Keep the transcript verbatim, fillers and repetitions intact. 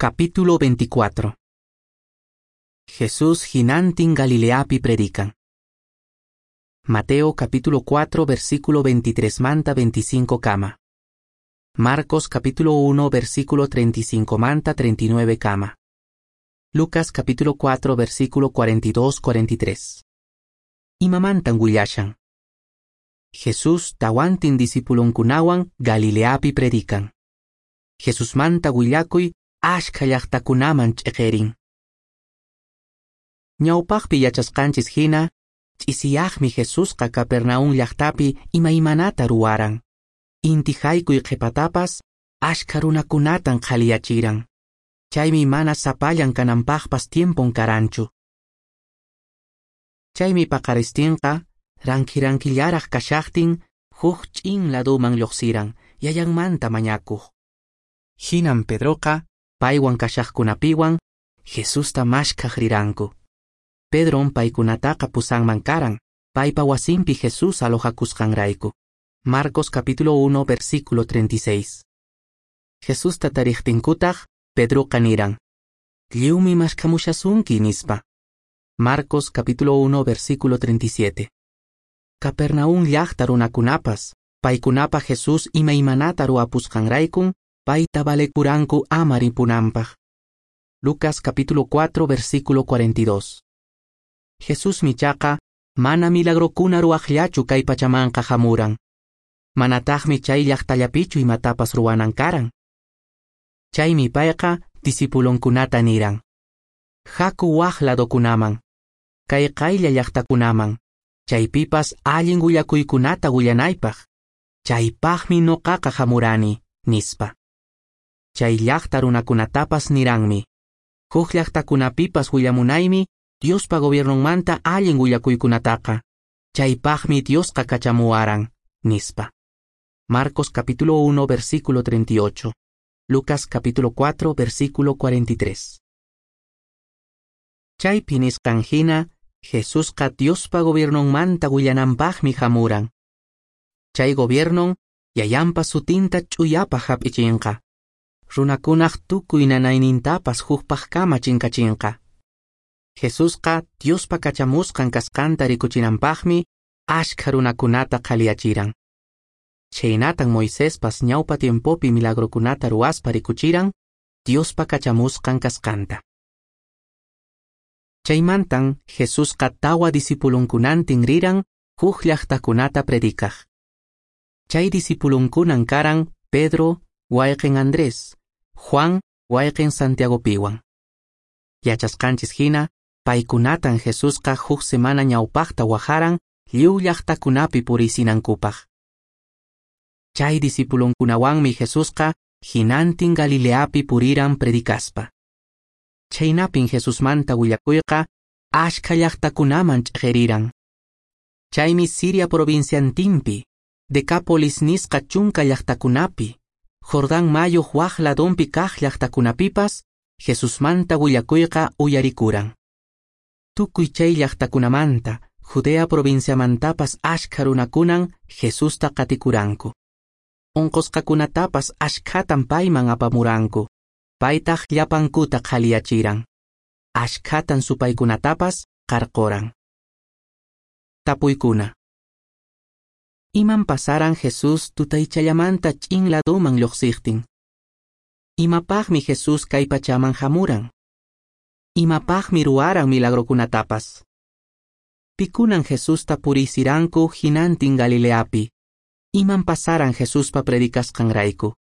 Capítulo veinticuatro. Jesús hinantin Galileapi predican. Mateo capítulo cuatro versículo veintitrés manta veinticinco kama. Marcos capítulo uno versículo treinta y cinco manta treinta y nueve kama. Lucas capítulo cuatro versículo cuarenta y dos cuarenta y tres. Imamantan willashan. Jesús tawantin discipulonkunawan Galileapi predican. Jesús manta willakuy ashkha llaqtakunaman ch'iqirin. Ñawpaqpi yachasqanchis hina, ch'isiyaqmi Jesusqa Capernaum llaqtapi imaymanata ruwaran. Inti haykuy qhipatapas ashkha runakunatan qhaliyachiran. Chaymi mana sapallan kananpaqpas tiempon karanchu. Chaymi paqaristinqa ranki-rankillaraq kashaqtin huk ch'in laduman lluqsiran yayanmanta mañakuq. Hinan Pedroqa paywan kashaqkunapiwan Jesusta mashkhaq riranku. Pedron paykunataqa pusanman karan, paypa wasinpi Jesús alojakusqanrayku. Marcos capítulo uno versículo treinta y seis. Jesusta tariqtinkutaq Pedroqa niran: Lliwmi mashkhamushasunki nispa. Marcos capítulo uno versículo treinta y siete. Capernaum llaqta runakunapas, paykunapa Jesús imaymanata ruwapusqanraykun, payta valekuranku ama ripunanpaq. Lucas capítulo cuatro versículo cuarenta y dos. Jesús michaqa mana milagrokuna ruwaqllachu kay pachamanqa hamuran. Manataqmi chay llaqtallapichu imatapas ruwanan karan. Chaymi payqa discipulonkunata niran: Haku waq ladokunaman, kay qaylla llaqtakunaman, chaypipas allin willakuykunata willanaypaq. Chaypaqmi nuqaqa hamurani, nispa. Chay llaqta runakunatapas niranmi: Huk llaqtakunapipas willamunaymi Diospa gobiernonmanta allin willakuykunataqa. Chaypaqmi Diosqa kachamuwaran, nispa. Marcos capítulo uno versículo treinta y ocho. Lucas capítulo cuatro versículo cuarenta y tres. Chaypi nisqan hina, Jesusqa Diospa gobiernonmanta willananpaqmi hamuran. Chay gobiernon yayanpa sutinta ch'uyapaq hap'ichinqa. Runakunaq tukuy nanaynintapas hukpaqkama chinkachinqa. Jesusqa Diospa kachamusqan kasqanta rikuchinanpaqmi ashkha runakunata qhaliyachiran. Chhaynatan Moisespas ñawpa tiempopi milagrokunata ruwaspa rikuchiran Diospa kachamusqan kasqanta. Chaymantan Jesusqa tawa discipulonkunantin riran huk llaqtakunata predicaq. Chay discipulonkunan karan Pedro, wayqin Andrés, Juan, wayqin Santiagopiwan. Yachasqanchis hina, paykunatan Jesusqa huk semana ñawpaqta wajaran lliw llaqtakunapi purisinankupaq. Chay discipulonkunawanmi Jesusqa hinantin Galileapi puriran predicaspa. Chaynapin Jesusmanta willakuyqa ashkha llaqtakunaman ch'iqiriran. Chaymi Siria provinciantinpi, Decápolis nisqa chunka llaqtakunapi, Jordán mayuq waq ladonpi kaq llaqtakunapipas Jesusmanta willakuyqa uyarikuran. Tukuy chay llaqtakunamanta, Judea provinciamantapas ashkha runakunan Jesusta qatikuranku. Unqusqakunatapas ashkhatan payman apamuranku. Paytaq llapankuta qhaliyachiran. Ashkhatan supaykunatapas qarquran. Tapuykuna. Iman pasaran Jesús tutaychallamanta ch'in laduman lluqsiqtin? Imapaqmi Jesús kay pachaman hamuran? Imapaqmi ruwaran milagrokunatapas? Pikunan Jesusta purisiranku hinantin Galileapi? Iman pasaran Jesuspa predicasqanrayku?